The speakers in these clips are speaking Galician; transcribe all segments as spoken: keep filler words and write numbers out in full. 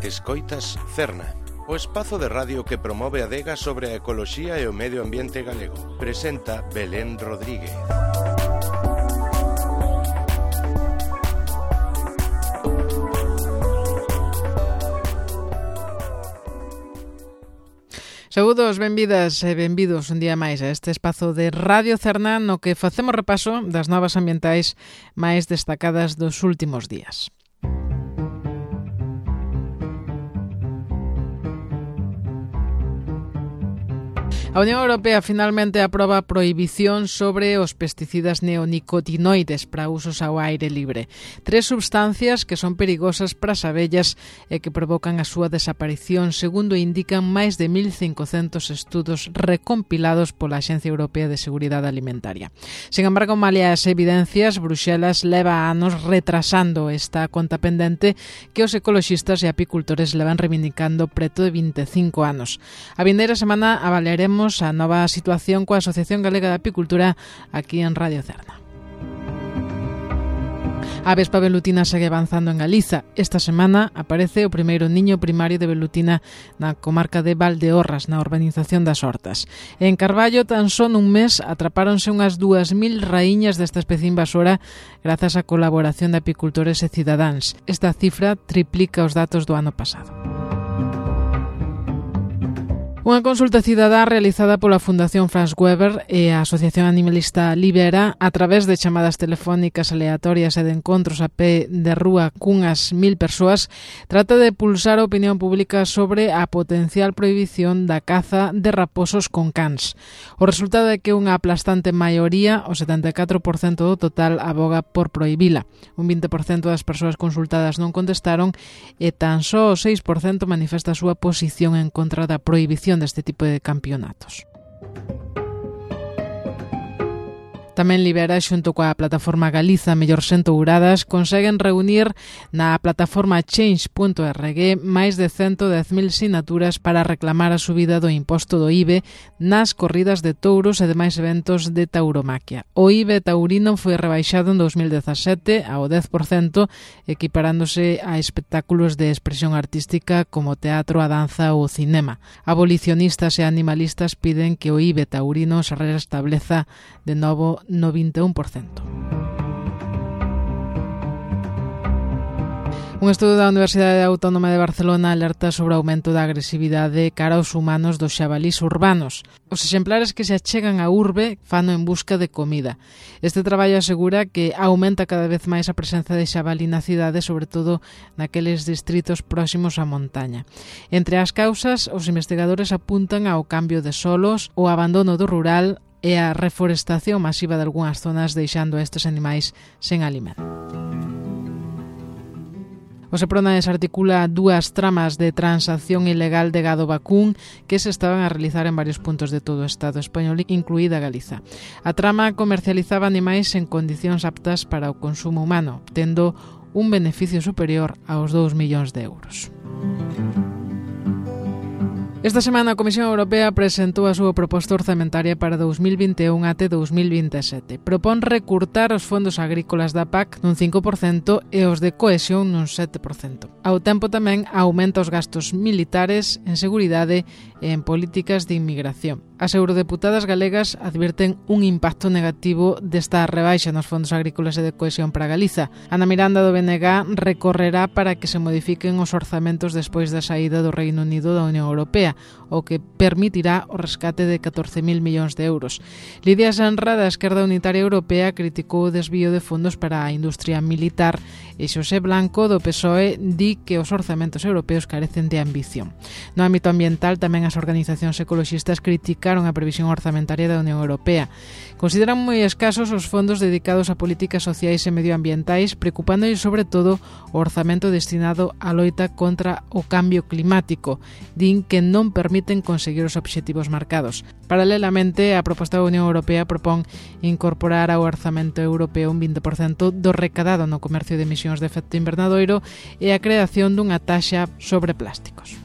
Escoitas Cerna, o espazo de radio que promove a adega sobre a ecoloxía e o medio ambiente galego. Presenta Belén Rodríguez. Saúdos, benvidas e benvidos un día máis a este espazo de Radio Cerna no que facemos repaso das novas ambientais máis destacadas dos últimos días. A Unión Europea finalmente aproba a prohibición sobre os pesticidas neonicotinoides para usos ao aire libre. Tres substancias que son perigosas para as abellas e que provocan a súa desaparición, segundo indican máis de mil cincocentos estudos recompilados pola Axencia Europea de Seguridade Alimentaria. Sin embargo, malia as evidencias, Bruxelas leva anos retrasando esta conta pendente que os ecoloxistas e apicultores levan reivindicando preto de vinte e cinco anos. A vindeira semana avaliaremos a nova situación coa Asociación Galega de Apicultura aquí en Radio Cerna. A vespa velutina segue avanzando en Galiza. Esta semana aparece o primeiro niño primario de velutina na comarca de Valdeorras, na urbanización das Hortas. En Carballo, tan só nun mes, atrapáronse unhas dúas mil raíñas desta especie invasora grazas á colaboración de apicultores e cidadáns. Esta cifra triplica os datos do ano pasado. Unha consulta cidadá realizada pola Fundación Franz Weber e a Asociación Animalista Libera a través de chamadas telefónicas aleatorias e de encontros a pé de rúa cunhas mil persoas trata de pulsar a opinión pública sobre a potencial prohibición da caza de raposos con cans. O resultado é que unha aplastante maioría, o setenta e catro por cento do total, aboga por prohibila. Un vinte por cento das persoas consultadas non contestaron e tan só o seis por cento manifesta a súa posición en contra da prohibición deste tipo de campeonatos. Tamén Libera, xunto coa plataforma Galiza Mellor Xente-Uradas, conseguen reunir na plataforma change punto org máis de ciento dez mil sinaturas para reclamar a subida do imposto do I B E nas corridas de touros e demais eventos de tauromaquia. O I B E taurino foi rebaixado en dos mil dezasete ao dez por cento, equiparándose a espectáculos de expresión artística como teatro, a danza ou o cinema. Abolicionistas e animalistas piden que o I B E taurino se restableza de novo no vinte e un por cento. Un estudo da Universidade Autónoma de Barcelona alerta sobre o aumento da agresividade cara aos humanos dos xabalís urbanos. Os exemplares que se achegan á urbe fano en busca de comida. Este traballo asegura que aumenta cada vez máis a presenza de xabalí na cidade, sobre todo naqueles distritos próximos á montaña. Entre as causas, os investigadores apuntan ao cambio de solos, o abandono do rural e a reforestación masiva de algunhas zonas, deixando a estes animais sen alimento. O Seprona desarticula dúas tramas de transacción ilegal de gado vacún que se estaban a realizar en varios puntos de todo o Estado español, incluída Galiza. A trama comercializaba animais en condicións aptas para o consumo humano, tendo un beneficio superior aos dous millóns de euros. Esta semana a Comisión Europea presentou a súa proposta orzamentaria para dous mil vinte e un até dous mil vinte e sete. Propón recurtar os fondos agrícolas da P A C nun cinco por cento e os de cohesión nun sete por cento. Ao tempo tamén aumenta os gastos militares en seguridade e en políticas de inmigración. As eurodeputadas galegas advirten un impacto negativo desta rebaixa nos fondos agrícolas e de cohesión para Galiza. Ana Miranda do B N G recorrerá para que se modifiquen os orzamentos despois da saída do Reino Unido da Unión Europea, o que permitirá o rescate de catorce mil millóns de euros. Lidia Sanra, da Esquerda Unitaria Europea, criticou o desvío de fondos para a industria militar e Xosé Blanco, do P S O E, di que os orzamentos europeos carecen de ambición. No ámbito ambiental, tamén as organizacións ecoloxistas criticaron a previsión orzamentaria da Unión Europea. Consideran moi escasos os fondos dedicados a políticas sociais e medioambientais, preocupándolle sobre todo o orzamento destinado á loita contra o cambio climático. Din que non permiten conseguir os obxectivos marcados. Paralelamente, a proposta da Unión Europea propón incorporar ao orzamento europeo un vinte por cento do recadado no comercio de emisións de efecto invernadoiro e a creación dunha taxa sobre plásticos.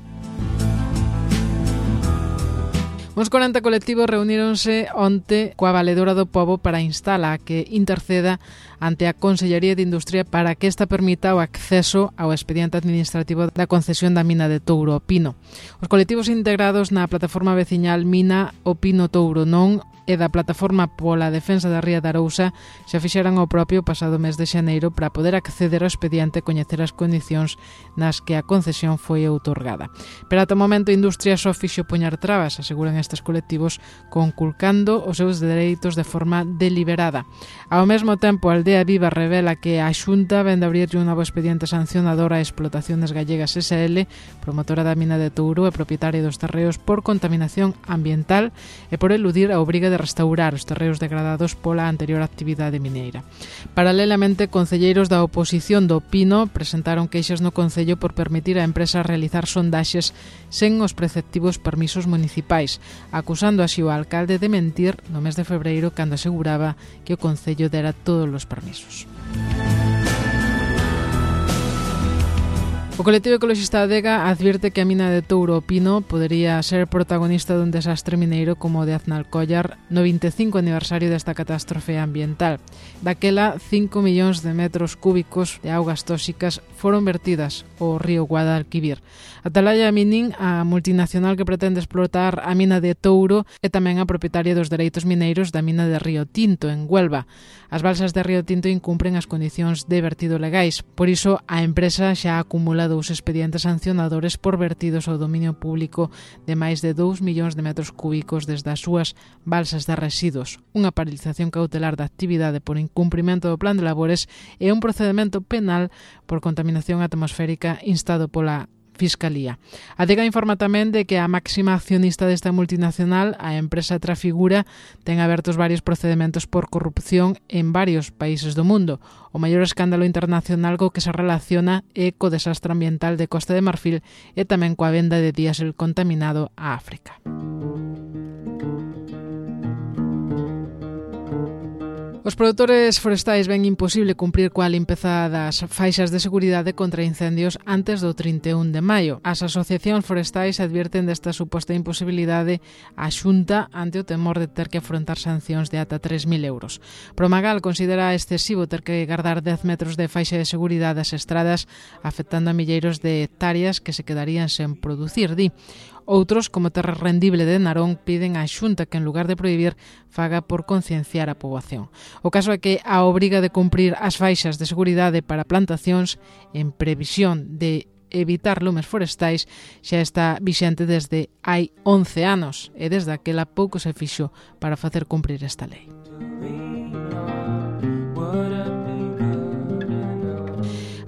Uns corenta colectivos reuníronse onte coa Valedora do Pobo para instala que interceda ante a Consellería de Industria para que esta permita o acceso ao expediente administrativo da concesión da mina de Touro o Pino. Os colectivos integrados na plataforma veciñal Mina o Pino Touro Non e da plataforma pola defensa da Ría de Arousa xa fixeran o propio pasado mes de xaneiro para poder acceder ao expediente e coñecer as condicións nas que a concesión foi outorgada. Pero ata o momento a industria só fixo poñar trabas, aseguran estes colectivos, conculcando os seus dereitos de forma deliberada. Ao mesmo tempo, a Aldea Viva revela que a Xunta vende abrirlle un novo expediente sancionador a Explotaciones Gallegas S L, promotora da mina de Touro e propietaria dos terreos por contaminación ambiental e por eludir a obriga de restaurar os terreos degradados pola anterior actividade mineira. Paralelamente, concelleiros da oposición do Pino presentaron queixas no Concello por permitir á empresa realizar sondaxes sen os preceptivos permisos municipais, acusando así o alcalde de mentir no mes de febreiro cando aseguraba que o Concello dera todos os permisos. O colectivo ecologista Adega advierte que a mina de Touro o Pino podería ser protagonista dun desastre mineiro como o de Aznalcóllar no vinte e cinco aniversario desta catástrofe ambiental. Daquela, cinco millóns de metros cúbicos de augas tóxicas foron vertidas ao río Guadalquivir. Atalaya Mining, a multinacional que pretende explotar a mina de Touro, é tamén a propietaria dos dereitos mineiros da mina de Río Tinto, en Huelva. As balsas de Río Tinto incumpren as condicións de vertido legais, por iso a empresa xa acumula dous expedientes sancionadores por vertidos ao dominio público de máis de dous millóns de metros cúbicos desde as súas balsas de residuos, unha paralización cautelar da actividade por incumprimento do plan de labores e un procedimento penal por contaminación atmosférica instado pola Fiscalía. A Adega informa tamén de que a máxima accionista desta multinacional, a empresa Trafigura, ten abertos varios procedementos por corrupción en varios países do mundo. O maior escándalo internacional co que se relaciona é co desastre ambiental de Costa de Marfil e tamén coa venda de diésel contaminado a África. Os produtores forestais ven imposible cumprir coa limpeza das faixas de seguridade contra incendios antes do trinta e un de maio. As asociacións forestais advierten desta suposta imposibilidade á Xunta ante o temor de ter que afrontar sancións de ata tres mil euros. Promagal considera excesivo ter que guardar dez metros de faixa de seguridade ás estradas, afectando a milleiros de hectáreas que se quedarían sen producir, di. Outros, como Terra Rendible de Narón, piden á Xunta que, en lugar de prohibir, faga por concienciar a poboación. O caso é que a obriga de cumprir as faixas de seguridade para plantacións en previsión de evitar lumes forestais xa está vixente desde hai once anos e desde aquela pouco se fixo para facer cumprir esta lei.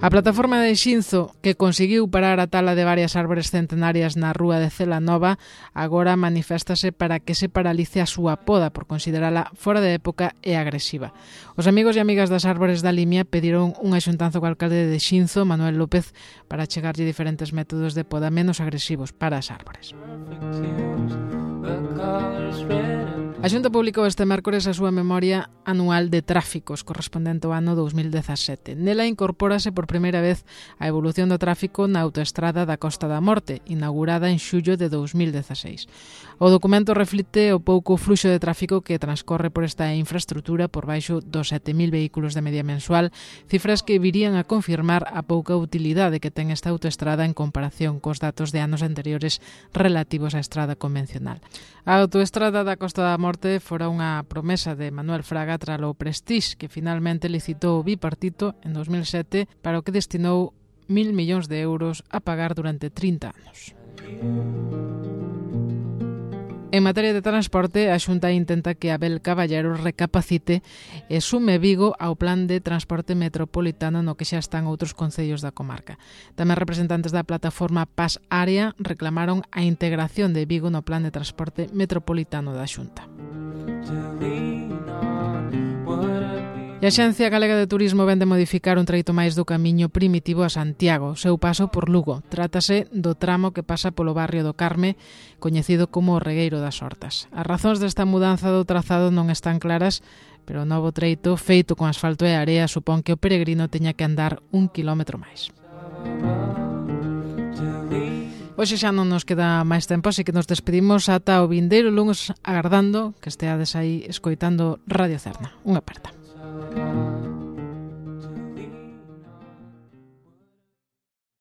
A plataforma de Xinzo, que conseguiu parar a tala de varias árbores centenarias na rúa de Celanova, agora maniféstase para que se paralice a súa poda por considerala fora de época e agresiva. Os amigos e amigas das árbores da Limia pediron un axuntanzo co alcalde de Xinzo, Manuel López, para chegarlle diferentes métodos de poda menos agresivos para as árbores. A Xunta publicou este mércores a súa memoria anual de tráficos correspondente ao ano dous mil dezasete. Nela incorpórase por primeira vez a evolución do tráfico na autoestrada da Costa da Morte, inaugurada en xullo de dous mil dezaseis. O documento reflite o pouco fluxo de tráfico que transcorre por esta infraestrutura por baixo dos sete mil vehículos de media mensual, cifras que virían a confirmar a pouca utilidade que ten esta autoestrada en comparación cos datos de anos anteriores relativos á estrada convencional. A autoestrada da Costa da Morte fora unha promesa de Manuel Fraga tralo Prestige, que finalmente licitou o bipartito en dous mil sete para o que destinou mil millóns de euros a pagar durante trinta anos. En materia de transporte, a Xunta intenta que Abel Caballero recapacite e sume Vigo ao plan de transporte metropolitano no que xa están outros concellos da comarca. Tamén representantes da plataforma Paz Área reclamaron a integración de Vigo no plan de transporte metropolitano da Xunta. E a Axencia Galega de Turismo vende modificar un treito máis do camiño primitivo a Santiago, seu paso por Lugo. Trátase do tramo que pasa polo barrio do Carme, coñecido como o Regueiro das Hortas. As razóns desta mudanza do trazado non están claras, pero o novo treito, feito con asfalto e area, supón que o peregrino teña que andar un quilómetro máis. Hoxe xa non nos queda máis tempo, así que nos despedimos ata o vindeiro lunes, agardando que esteades aí escoitando Radio Cerna. Unha aperta.